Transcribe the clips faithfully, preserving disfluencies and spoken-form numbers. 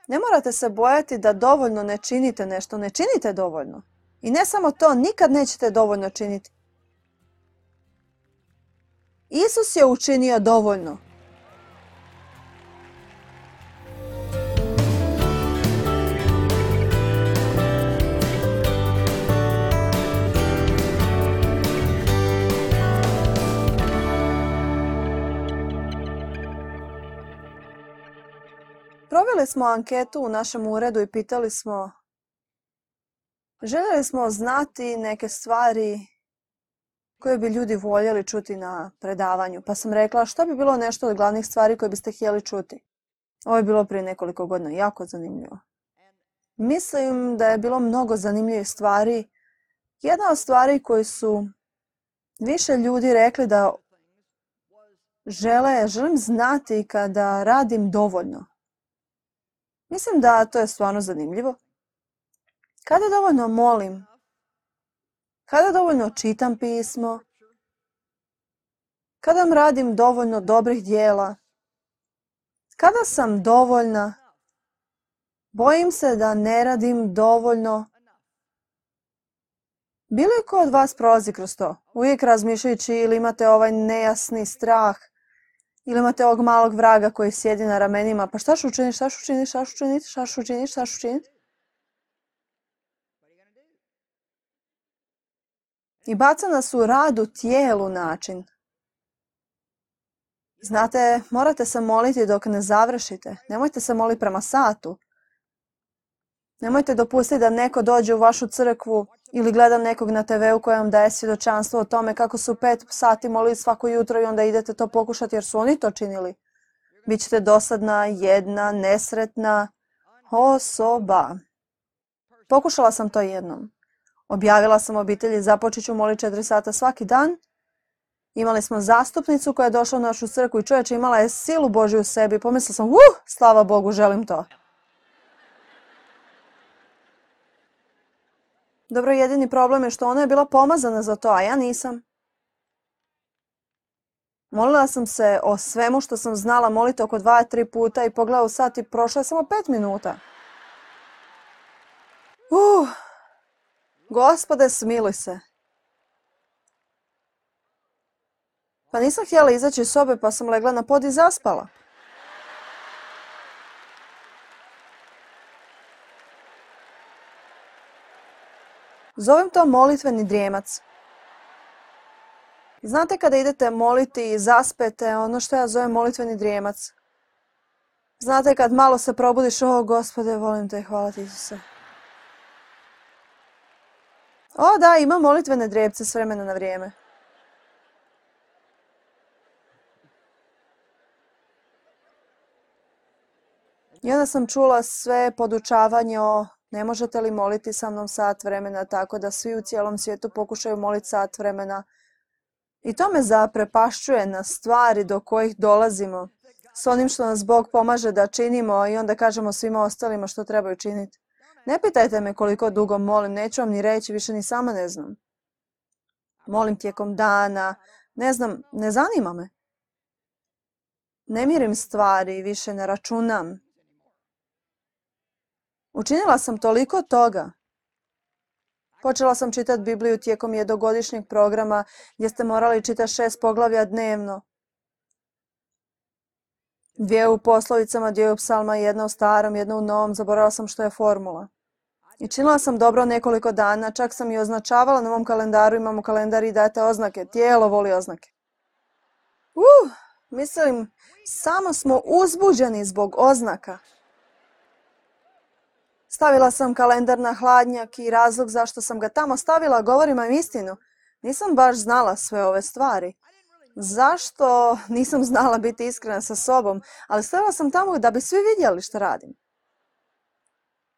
Ne morate se bojati da dovoljno ne činite nešto. Ne činite dovoljno. I ne samo to, nikad nećete dovoljno činiti. Isus je učinio dovoljno. Proveli smo anketu u našem uredu i pitali smo, željeli smo znati neke stvari koje bi ljudi voljeli čuti na predavanju. Pa sam rekla, što bi bilo nešto od glavnih stvari koje biste htjeli čuti? Ovo je bilo prije nekoliko godina, jako zanimljivo. Mislim da je bilo mnogo zanimljivih stvari. Jedna od stvari koje su više ljudi rekli da žele, želim znati kada radim dovoljno. Mislim da to je stvarno zanimljivo. Kada dovoljno molim, kada dovoljno čitam pismo, kada radim dovoljno dobrih dijela, kada sam dovoljna, bojim se da ne radim dovoljno. Bilo je ko od vas prolazi kroz to? Uvijek razmišljajući ili imate ovaj nejasni strah, ili imate ovog malog vraga koji sjedi na ramenima, pa šta ću učiniti, šta ću učiniti, šta ću učiniti, šta ću učiniti, šta ću učiniti? I baca nas u rad u tijelu način. Znate, morate se moliti dok ne završite. Nemojte se moliti prema satu. Nemojte dopustiti da neko dođe u vašu crkvu ili gleda nekog na te veu koji vam daje svjedočanstvo o tome kako su pet sati molili svako jutro i onda idete to pokušati jer su oni to činili. Bićete dosadna, jedna, nesretna osoba. Pokušala sam to jednom. Objavila sam obitelji, započet ću moliti četiri sata svaki dan. Imali smo zastupnicu koja je došla u našu crkvu i čovječe imala je silu Božju u sebi. Pomislila sam, uh, slava Bogu, želim to. Dobro, jedini problem je što ona je bila pomazana za to, a ja nisam. Molila sam se o svemu što sam znala moliti oko dva, tri puta i pogledala u sat i prošlo je samo pet minuta. Uh, Gospode, smiluj se. Pa nisam htjela izaći iz sobe pa sam legla na pod i zaspala. Zovem to molitveni drijemac. Znate kada idete moliti i zaspete, ono što ja zovem molitveni drijemac. Znate kad malo se probudiš, o Gospode, volim te, hvala ti Isuse. O da, imam molitvene drijepce s vremena na vrijeme. I onda sam čula sve podučavanje o ne možete li moliti sa mnom sat vremena, tako da svi u cijelom svijetu pokušaju moliti sat vremena. I to me zaprepašćuje na stvari do kojih dolazimo, s onim što nas Bog pomaže da činimo i onda kažemo svima ostalima što trebaju činiti. Ne pitajte me koliko dugo molim, neću vam ni reći, više ni sama ne znam. Molim tijekom dana, ne znam, ne zanima me. Ne mirim stvari, više ne računam. Učinila sam toliko toga. Počela sam čitati Bibliju tijekom jednogodišnjeg programa gdje ste morali čitati šest poglavlja dnevno. Dvije u poslovicama, dvije u psalma, jedna u starom, jedna u novom, zaboravila sam što je formula. I činila sam dobro nekoliko dana, čak sam i označavala na mom kalendaru, imamo kalendar i dajete oznake, tijelo voli oznake. Uh, mislim, samo smo uzbuđeni zbog oznaka. Stavila sam kalendar na hladnjak i razlog zašto sam ga tamo stavila, govorim vam istinu. Nisam baš znala sve ove stvari. Zašto? Nisam znala biti iskrena sa sobom, ali stavila sam tamo da bi svi vidjeli što radim.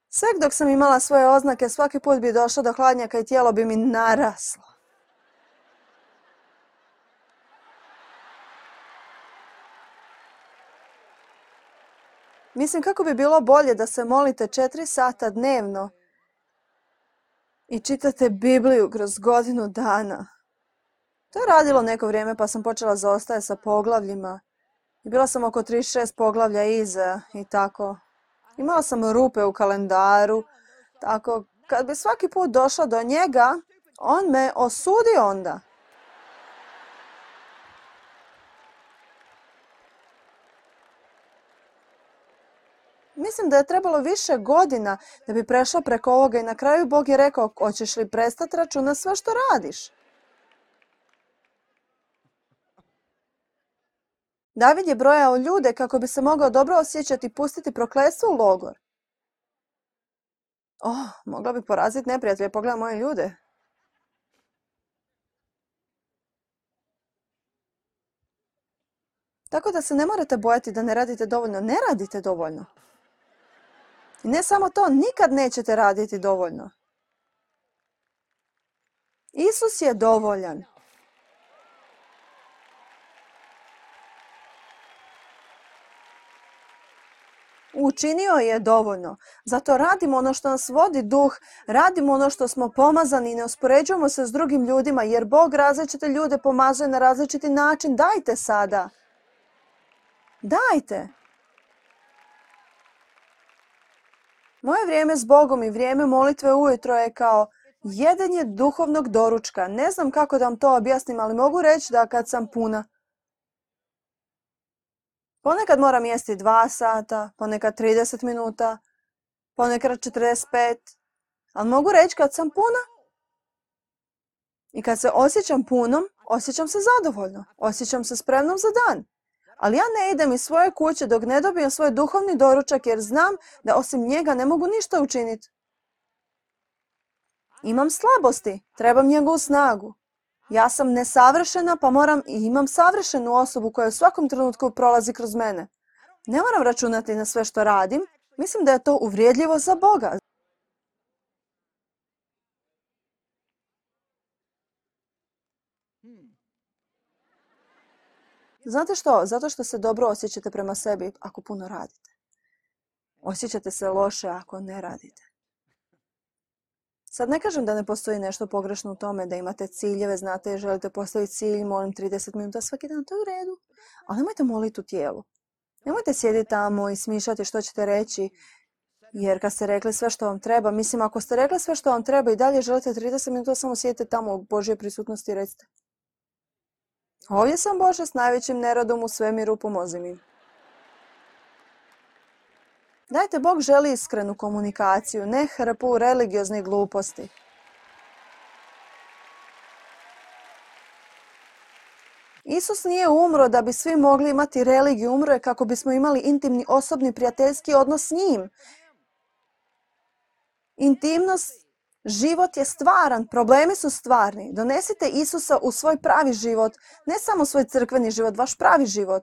Sve dok sam imala svoje oznake, svaki put bi došla do hladnjaka i tijelo bi mi naraslo. Mislim kako bi bilo bolje da se molite četiri sata dnevno i čitate Bibliju kroz godinu dana. To je radilo neko vrijeme pa sam počela zaostajati sa poglavljima. I bila sam oko trideset šest poglavlja iza i tako. Imala sam rupe u kalendaru, tako kad bi svaki put došla do njega, on me osudi onda. Mislim da je trebalo više godina da bi prešla preko ovoga i na kraju Bog je rekao, hoćeš li prestati računati sve što radiš? David je brojao ljude kako bi se mogao dobro osjećati i pustiti prokletstvo u logor. Oh, mogla bi poraziti neprijatelje, pogledaj moje ljude. Tako da se ne morate bojati da ne radite dovoljno. Ne radite dovoljno. I ne samo to, nikad nećete raditi dovoljno. Isus je dovoljan. Učinio je dovoljno. Zato radimo ono što nas vodi duh, radimo ono što smo pomazani i ne uspoređujemo se s drugim ljudima, jer Bog različite ljude pomazuje na različiti način. Dajte sada. Dajte. Moje vrijeme s Bogom i vrijeme molitve ujutro je kao jedenje duhovnog doručka. Ne znam kako da vam to objasnim, ali mogu reći da kad sam puna, ponekad moram jesti dva sata, ponekad trideset minuta, ponekad četrdeset pet, ali mogu reći kad sam puna. I kad se osjećam punom, osjećam se zadovoljno, osjećam se spremnom za dan. Ali ja ne idem iz svoje kuće dok ne dobijem svoj duhovni doručak jer znam da osim njega ne mogu ništa učiniti. Imam slabosti, trebam njegovu snagu. Ja sam nesavršena pa moram i imam savršenu osobu koja u svakom trenutku prolazi kroz mene. Ne moram računati na sve što radim. Mislim da je to uvrijedljivo za Boga. Znate što? Zato što se dobro osjećate prema sebi ako puno radite. Osjećate se loše ako ne radite. Sad ne kažem da ne postoji nešto pogrešno u tome da imate ciljeve, znate, želite postaviti cilj, molim trideset minuta svaki dan, to je u redu. Ali nemojte moliti u tijelu. Nemojte sjediti tamo i smišljati što ćete reći, jer kad ste rekli sve što vam treba, mislim ako ste rekli sve što vam treba i dalje želite trideset minuta, samo sjedite tamo u Božjoj prisutnosti i recite. Ovdje sam Bože s najvećim neradom u svemiru, pomozi mi. Dajte, Bog želi iskrenu komunikaciju, ne hrpu religioznih gluposti. Isus nije umro da bi svi mogli imati religiju, umro je kako bismo imali intimni, osobni, prijateljski odnos s njim. Intimnost, život je stvaran, problemi su stvarni. Donesite Isusa u svoj pravi život, ne samo svoj crkveni život, vaš pravi život.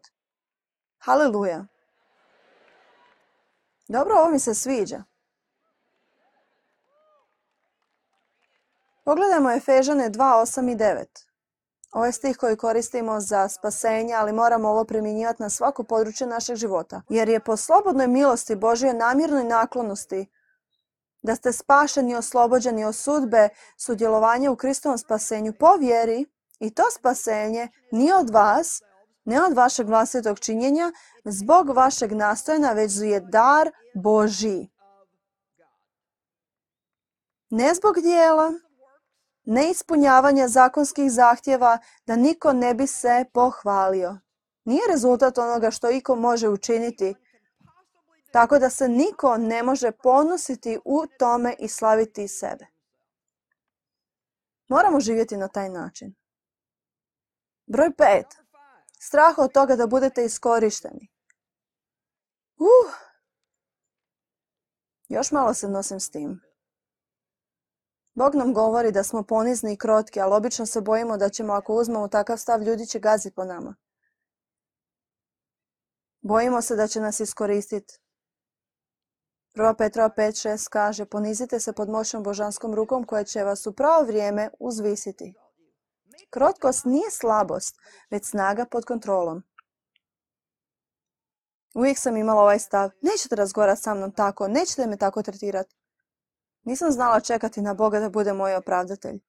Haleluja. Dobro, ovo mi se sviđa. Pogledajmo Efežane dva, osam i devet. Ovo je stih koji koristimo za spasenje, ali moramo ovo primjenjivati na svako područje našeg života. Jer je po slobodnoj milosti Božjoj namjernoj naklonosti da ste spašeni i oslobođeni od sudbe sudjelovanja u Kristovom spasenju po vjeri i to spasenje nije od vas, ne od vašeg vlastitog činjenja, zbog vašeg nastojanja, već je dar Božji. Ne zbog dijela, ne ispunjavanja zakonskih zahtjeva, da niko ne bi se pohvalio. Nije rezultat onoga što iko može učiniti, tako da se niko ne može ponositi u tome i slaviti sebe. Moramo živjeti na taj način. Broj pet. Strah od toga da budete iskorišteni. Uh, još malo se nosim s tim. Bog nam govori da smo ponizni i krotki, ali obično se bojimo da ćemo, ako uzmemo takav stav, ljudi će gaziti po nama. Bojimo se da će nas iskoristiti. Prva Petrova pet šest kaže, ponizite se pod moćnom božanskom rukom koja će vas u pravo vrijeme uzvisiti. Krotkost nije slabost, već snaga pod kontrolom. Uvijek sam imala ovaj stav, nećete razgovarati sa mnom tako, nećete me tako tretirati. Nisam znala čekati na Boga da bude moj opravdatelj.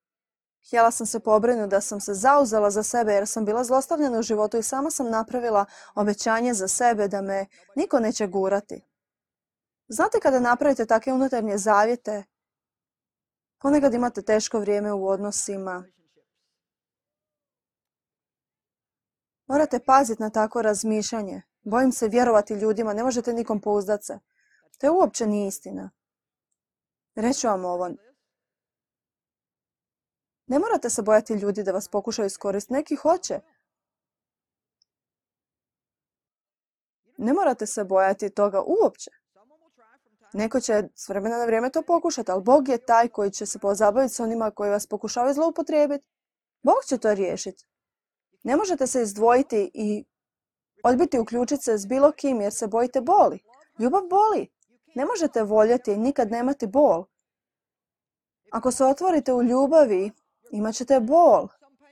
Htjela sam se pobrinuti da sam se zauzela za sebe jer sam bila zlostavljena u životu i sama sam napravila obećanje za sebe da me niko neće gurati. Znate, kada napravite takve unutarnje zavjete, ponekad imate teško vrijeme u odnosima. Morate paziti na tako razmišljanje. Bojim se vjerovati ljudima, ne možete nikom pouzdat se. To je uopće nije istina. Reću vam ovo. Ne morate se bojati ljudi da vas pokušaju iskoristiti. Neki hoće. Ne morate se bojati toga uopće. Neko će s vremena na vrijeme to pokušati, ali Bog je taj koji će se pozabaviti s onima koji vas pokušavaju zloupotrijebiti. Bog će to riješiti. Ne možete se izdvojiti i odbiti uključiti se s bilo kim jer se bojite boli. Ljubav boli. Ne možete voljeti i nikad nemati bol. Ako se otvorite u ljubavi, imat ćete bol,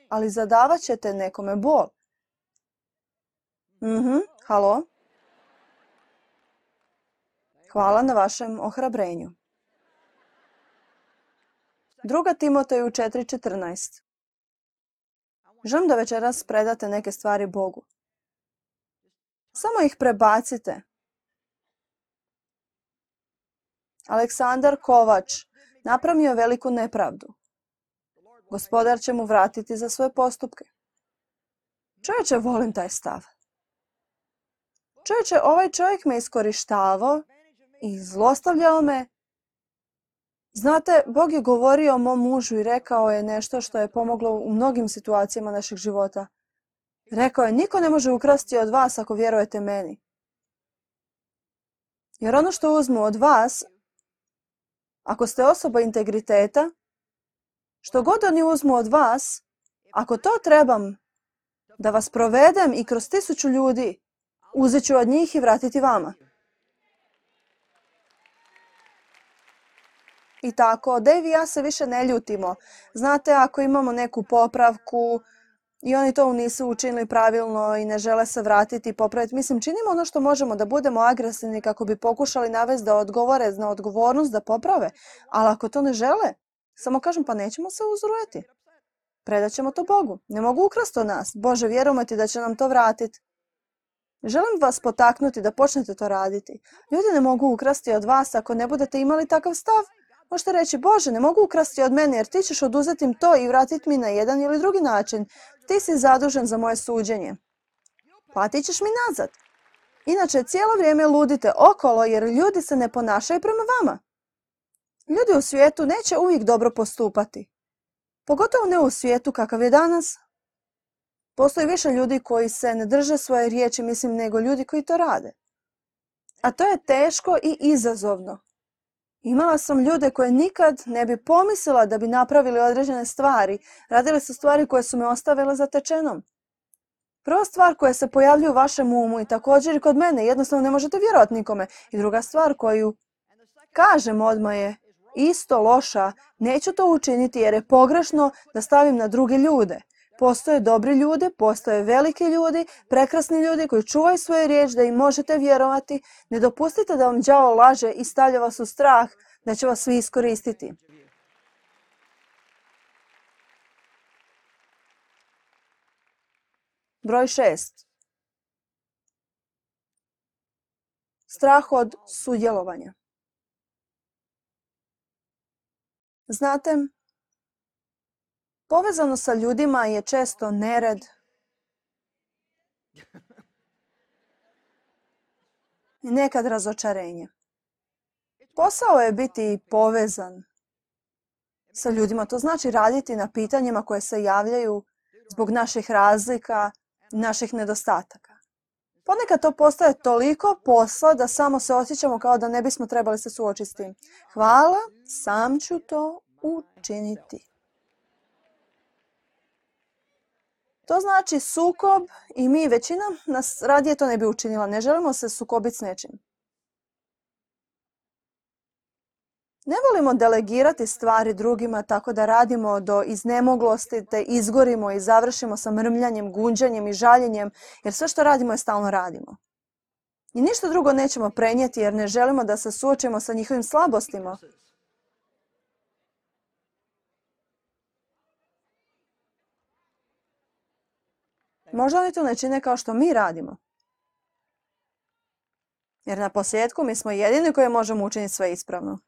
ali zadavat ćete nekome bol. Mhm, halo? Hvala na vašem ohrabrenju. Druga Timoteju četiri četrnaest. Želim da večeras predate neke stvari Bogu. Samo ih prebacite. Aleksandar Kovač napravio je veliku nepravdu. Gospodar će mu vratiti za svoje postupke. Čovječe, volim taj stav. Čovječe, ovaj čovjek me iskorištavao i zlostavljao me. Znate, Bog je govorio o mom mužu i rekao je nešto što je pomoglo u mnogim situacijama našeg života. Rekao je, niko ne može ukrasti od vas ako vjerujete meni. Jer ono što uzmu od vas, ako ste osoba integriteta, što god oni uzmu od vas, ako to trebam da vas provedem i kroz tisuću ljudi, uzet ću od njih i vratiti vama. I tako, Dave i ja se više ne ljutimo. Znate, ako imamo neku popravku i oni to nisu učinili pravilno i ne žele se vratiti i popraviti, mislim, činimo ono što možemo da budemo agresivni kako bi pokušali navesti da odgovore na odgovornost da poprave. Ali ako to ne žele, samo kažem, pa nećemo se uzrujati. Predat ćemo to Bogu. Ne mogu ukrasti od nas. Bože, vjerujemo ti da će nam to vratiti. Želim vas potaknuti da počnete to raditi. Ljudi ne mogu ukrasti od vas ako ne budete imali takav stav. Možete reći, Bože, ne mogu ukrasti od mene jer ti ćeš oduzeti im to i vratiti mi na jedan ili drugi način. Ti si zadužen za moje suđenje. Platit ćeš mi nazad. Inače, cijelo vrijeme ludite okolo jer ljudi se ne ponašaju prema vama. Ljudi u svijetu neće uvijek dobro postupati. Pogotovo ne u svijetu kakav je danas. Postoji više ljudi koji se ne drže svoje riječi, mislim, nego ljudi koji to rade. A to je teško i izazovno. Imala sam ljude koje nikad ne bi pomislila da bi napravili određene stvari. Radili su stvari koje su me ostavile zatečenom. Prva stvar koja se pojavljuje u vašem umu i također i kod mene, jednostavno ne možete vjerovati nikome. I druga stvar koju kažem odmah je isto loša, neću to učiniti jer je pogrešno da stavim na druge ljude. Postoje dobri ljudi, postoje veliki ljudi, prekrasni ljudi koji čuvaju svoju riječ da im možete vjerovati. Ne dopustite da vam đavo laže i stavlja vas u strah da će vas svi iskoristiti. Broj šest. Strah od sudjelovanja. Znate, povezano sa ljudima je često nered. I nekad razočarenje. Posao je biti povezan sa ljudima. To znači raditi na pitanjima koje se javljaju zbog naših razlika i naših nedostataka. Ponekad to postaje toliko posla da samo se osjećamo kao da ne bismo trebali se suočiti s tim. Hvala, sam ću to učiniti. To znači sukob i mi, većina nas radije to ne bi učinila. Ne želimo se sukobiti s nečim. Ne volimo delegirati stvari drugima tako da radimo do iznemoglosti, te izgorimo i završimo sa mrmljanjem, gunđanjem i žaljenjem, jer sve što radimo je stalno radimo. I ništa drugo nećemo prenijeti jer ne želimo da se suočimo sa njihovim slabostima. Možda oni to ne čine kao što mi radimo. Jer na posljedku mi smo jedini koji možemo učiniti sve ispravno.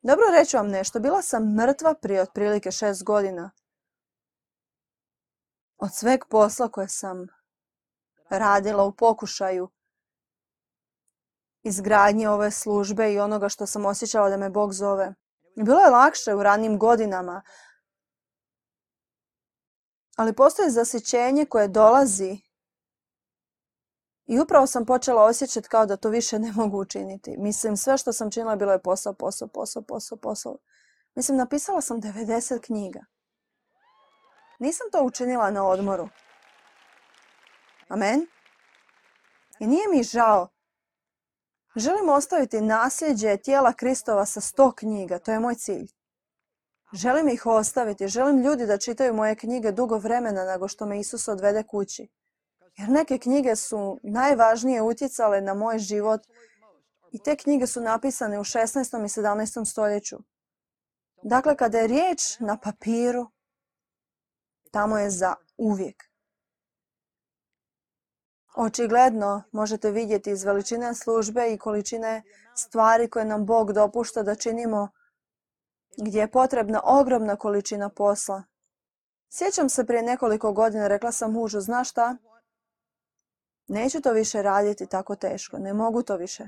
Dobro, reću vam nešto. Bila sam mrtva prije otprilike šest godina. Od sveg posla koje sam radila u pokušaju izgradnje ove službe i onoga što sam osjećala da me Bog zove. Bilo je lakše u ranim godinama, ali postoji zasićenje koje dolazi i upravo sam počela osjećati kao da to više ne mogu učiniti. Mislim, sve što sam činila bilo je posao, posao, posao, posao, posao. Mislim, napisala sam devedeset knjiga. Nisam to učinila na odmoru. Amen. I nije mi žao. Želim ostaviti nasljeđe tijela Kristova sa sto knjiga. To je moj cilj. Želim ih ostaviti. Želim ljudi da čitaju moje knjige dugo vremena nego što me Isus odvede kući. Jer neke knjige su najvažnije utjecale na moj život i te knjige su napisane u šesnaestom i sedamnaestom stoljeću. Dakle, kada je riječ na papiru, tamo je za uvijek. Očigledno možete vidjeti iz veličine službe i količine stvari koje nam Bog dopušta da činimo, gdje je potrebna ogromna količina posla. Sjećam se prije nekoliko godina, rekla sam mužu, znaš šta? Neću to više raditi tako teško, ne mogu to više.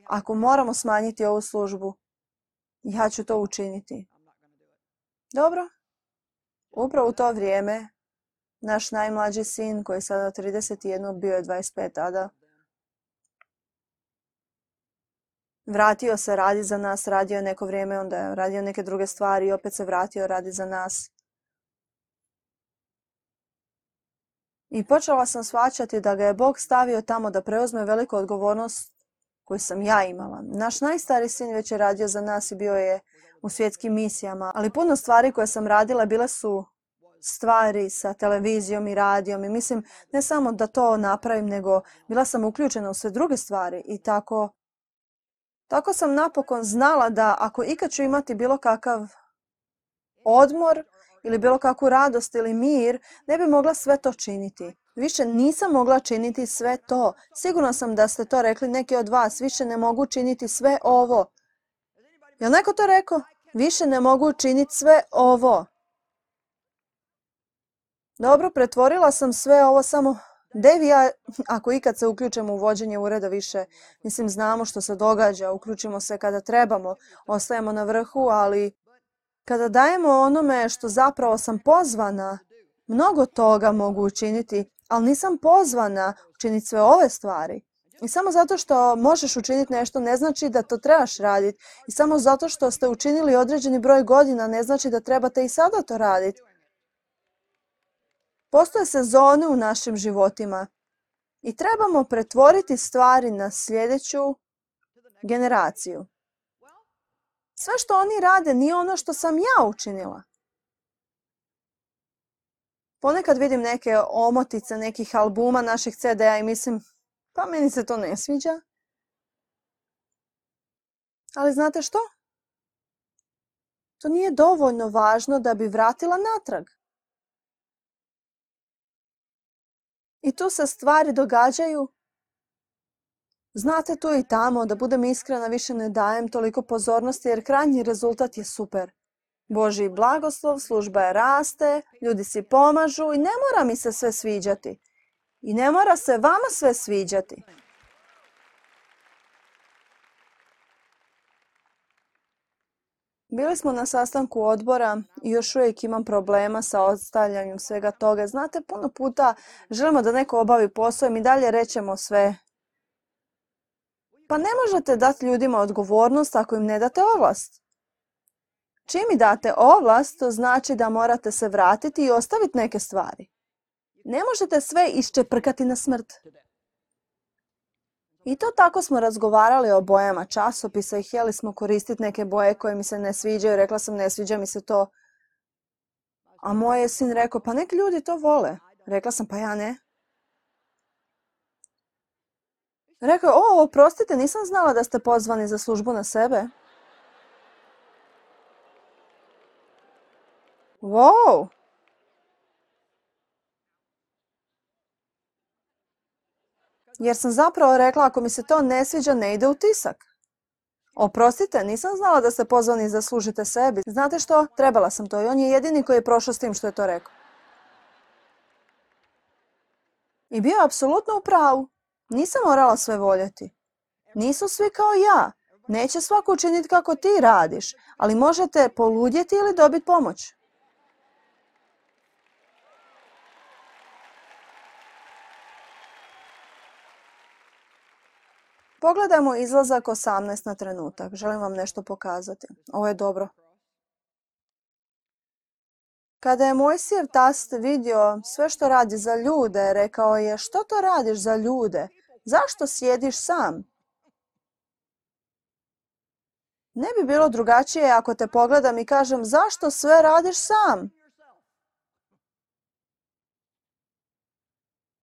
Ako moramo smanjiti ovu službu, ja ću to učiniti. Dobro. Upravo u to vrijeme, naš najmlađi sin, koji je sada trideset jedan, bio je dvadeset pet tada, vratio se, radi za nas, radio je neko vrijeme, onda je radio neke druge stvari i opet se vratio, radi za nas. I počela sam shvaćati da ga je Bog stavio tamo da preuzme veliku odgovornost koju sam ja imala. Naš najstariji sin već je radio za nas i bio je u svjetskim misijama, ali puno stvari koje sam radila bile su stvari sa televizijom i radijom i mislim ne samo da to napravim, nego bila sam uključena u sve druge stvari i tako, tako sam napokon znala da ako ikad ću imati bilo kakav odmor ili bilo kakvu radost ili mir, ne bi mogla sve to činiti. Više nisam mogla činiti sve to. Sigurno sam da ste to rekli neki od vas. Više ne mogu činiti sve ovo. Je li neko to rekao? Više ne mogu činiti sve ovo. Dobro, pretvorila sam sve ovo samo... Devi ja, ako ikad se uključimo u vođenje ureda više, mislim, znamo što se događa, uključimo se kada trebamo, ostajemo na vrhu, ali kada dajemo onome što zapravo sam pozvana, mnogo toga mogu učiniti, ali nisam pozvana učiniti sve ove stvari. I samo zato što možeš učiniti nešto ne znači da to trebaš raditi. I samo zato što ste učinili određeni broj godina ne znači da trebate i sada to raditi. Postoje sezone u našim životima i trebamo pretvoriti stvari na sljedeću generaciju. Sve što oni rade nije ono što sam ja učinila. Ponekad vidim neke omotice nekih albuma naših ce de a i mislim, pa meni se to ne sviđa. Ali znate što? To nije dovoljno važno da bi vratila natrag. I tu se stvari događaju. Znate, tu i tamo, da budem iskrena, više ne dajem toliko pozornosti jer krajnji rezultat je super. Božji blagoslov, služba je raste, ljudi si pomažu i ne mora mi se sve sviđati. I ne mora se vama sve sviđati. Bili smo na sastanku odbora i još uvijek imam problema sa ostavljanjem svega toga. Znate, puno puta želimo da neko obavi posao i mi dalje rećemo sve. Pa ne možete dati ljudima odgovornost ako im ne date ovlast. Čim mi date ovlast, to znači da morate se vratiti i ostaviti neke stvari. Ne možete sve iščeprkati na smrt. I to tako smo razgovarali o bojama časopisa i htjeli smo koristiti neke boje koje mi se ne sviđaju. Rekla sam, ne sviđa mi se to. A moj je sin rekao, pa neki ljudi to vole. Rekla sam, pa ja ne. Rekao je, o, oprostite, nisam znala da ste pozvani za službu na sebe. Wow! Jer sam zapravo rekla, ako mi se to ne sviđa, ne ide u tisak. Oprostite, nisam znala da ste pozvani da služite sebi. Znate što? Trebala sam to i on je jedini koji je prošao s tim što je to rekao. I bio je apsolutno u pravu. Nisam morala sve voljeti. Nisu svi kao ja. Neće svako učiniti kako ti radiš, ali možete poludjeti ili dobiti pomoć. Pogledajmo izlazak osamnaest na trenutak. Želim vam nešto pokazati. Ovo je dobro. Kada je Mojsijev tast vidio sve što radi za ljude, rekao je, što to radiš za ljude? Zašto sjediš sam? Ne bi bilo drugačije ako te pogledam i kažem, zašto sve radiš sam?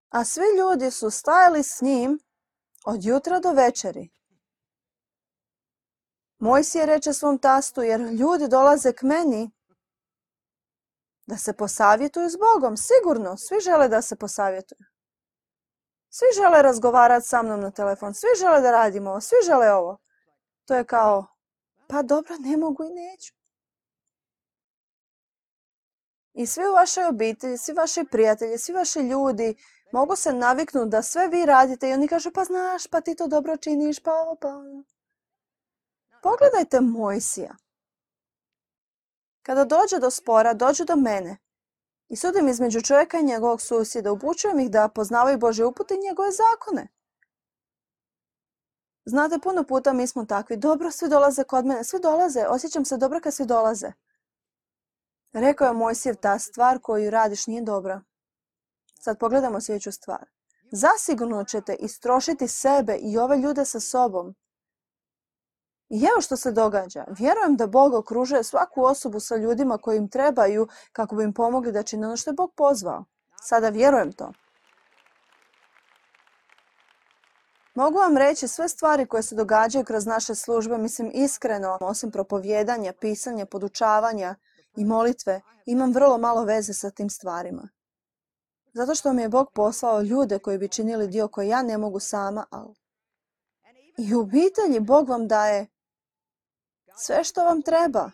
A svi ljudi su stajali s njim od jutra do večeri. Mojsije reče svom tastu, jer ljudi dolaze k meni da se posavjetuju s Bogom. Sigurno, svi žele da se posavjetuju. Svi žele razgovarati sa mnom na telefon, svi žele da radimo ovo, svi žele ovo. To je kao, pa dobro, ne mogu i neću. I svi u vašoj obitelji, svi vaši prijatelji, svi vaši ljudi mogu se naviknuti da sve vi radite i oni kažu, pa znaš, pa ti to dobro činiš, pa ovo, pa ono. Pogledajte Mojsija. Kada dođe do spora, dođe do mene i sudim između čovjeka i njegovog susjeda, upućujem ih da poznavaju Božje upute i njegove zakone. Znate, puno puta mi smo takvi, dobro, svi dolaze kod mene, svi dolaze, osjećam se dobro kad svi dolaze. Rekao je Mojsijev, ta stvar koju radiš nije dobra. Sad pogledamo sljedeću stvar. Zasigurno ćete istrošiti sebe i ove ljude sa sobom. I evo što se događa. Vjerujem da Bog okružuje svaku osobu sa ljudima koji im trebaju kako bi im pomogli da čine ono što je Bog pozvao. Sada vjerujem to. Mogu vam reći sve stvari koje se događaju kroz naše službe, mislim iskreno, osim propovijedanja, pisanja, podučavanja i molitve, imam vrlo malo veze sa tim stvarima. Zato što mi je Bog poslao ljude koji bi činili dio koji ja ne mogu sama, ali i u obitelji Bog vam daje sve što vam treba.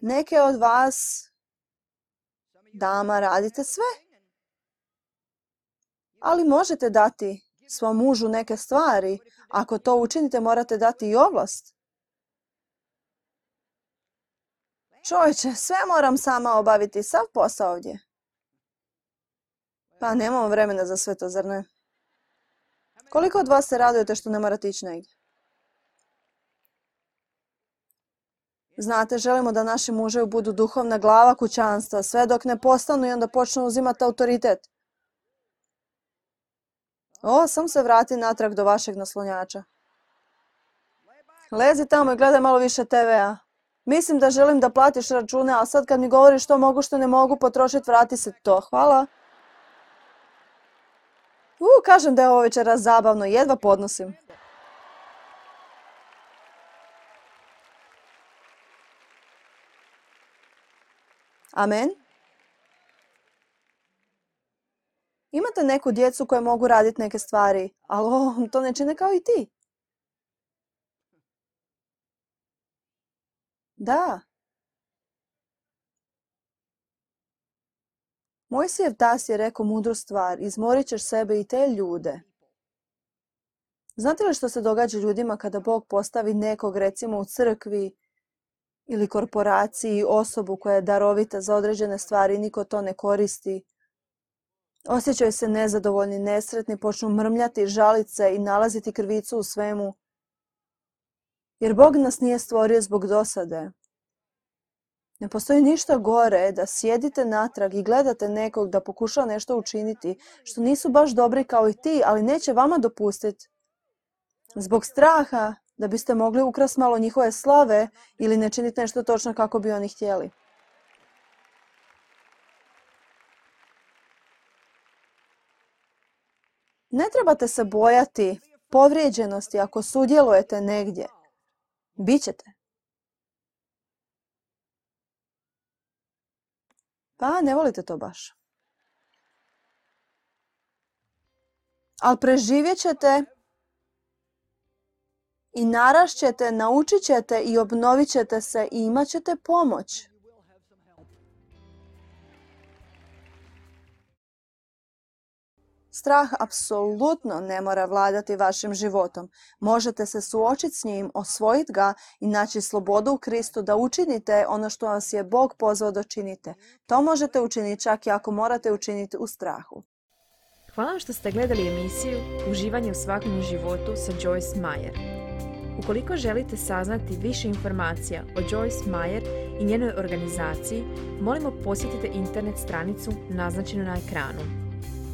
Neke od vas, dama, radite sve. Ali možete dati svom mužu neke stvari. Ako to učinite, morate dati i ovlast. Čovječe, sve moram sama obaviti, sav posao ovdje. Pa nemamo vremena za sve to, zar ne? Koliko od vas se radujete što ne morate ići negdje? Znate, želimo da naši muževi budu duhovna glava kućanstva, sve dok ne postanu i onda počnu uzimati autoritet. O, sam se vrati natrag do vašeg naslonjača. Lezi tamo i gledaj malo više te vea. Mislim da želim da platiš račune, a sad kad mi govoriš što mogu, što ne mogu potrošiti, vrati se to. Hvala. U, kažem da je ovo večeras zabavno, jedva podnosim. Amen. Imate neku djecu koje mogu raditi neke stvari, ali o, to ne čine kao i ti. Da. Mojsijev tas je rekao mudru stvar, izmorit ćeš sebe i te ljude. Znate li što se događa ljudima kada Bog postavi nekog, recimo u crkvi ili korporaciji, osobu koja je darovita za određene stvari i niko to ne koristi? Osjećaju se nezadovoljni, nesretni, počnu mrmljati, žaliti se i nalaziti krivicu u svemu. Jer Bog nas nije stvorio zbog dosade. Ne postoji ništa gore da sjedite natrag i gledate nekog da pokuša nešto učiniti što nisu baš dobri kao i ti, ali neće vama dopustiti. Zbog straha da biste mogli ukrasti malo njihove slave ili ne činiti nešto točno kako bi oni htjeli. Ne trebate se bojati povrijeđenosti ako sudjelujete negdje. Bićete. Pa ne volite to baš. ali preživjet ćete i narašćete, naučit ćete i obnovit ćete se i imat ćete pomoć. Strah apsolutno ne mora vladati vašim životom. Možete se suočiti s njim, osvojiti ga i naći slobodu u Kristu da učinite ono što vas je Bog pozvao da činite. To možete učiniti čak i ako morate učiniti u strahu. Hvala vam što ste gledali emisiju Uživanje u svakodnevnom životu sa Joyce Meyer. Ukoliko želite saznati više informacija o Joyce Meyer i njenoj organizaciji, molimo posjetite internet stranicu naznačenu na ekranu.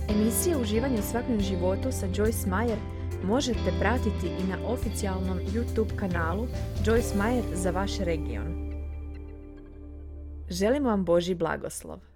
Emisije Uživanje u svakodnevnom životu sa Joyce Meyer možete pratiti i na oficijalnom YouTube kanalu Joyce Meyer za vaš region. Želimo vam Božji blagoslov.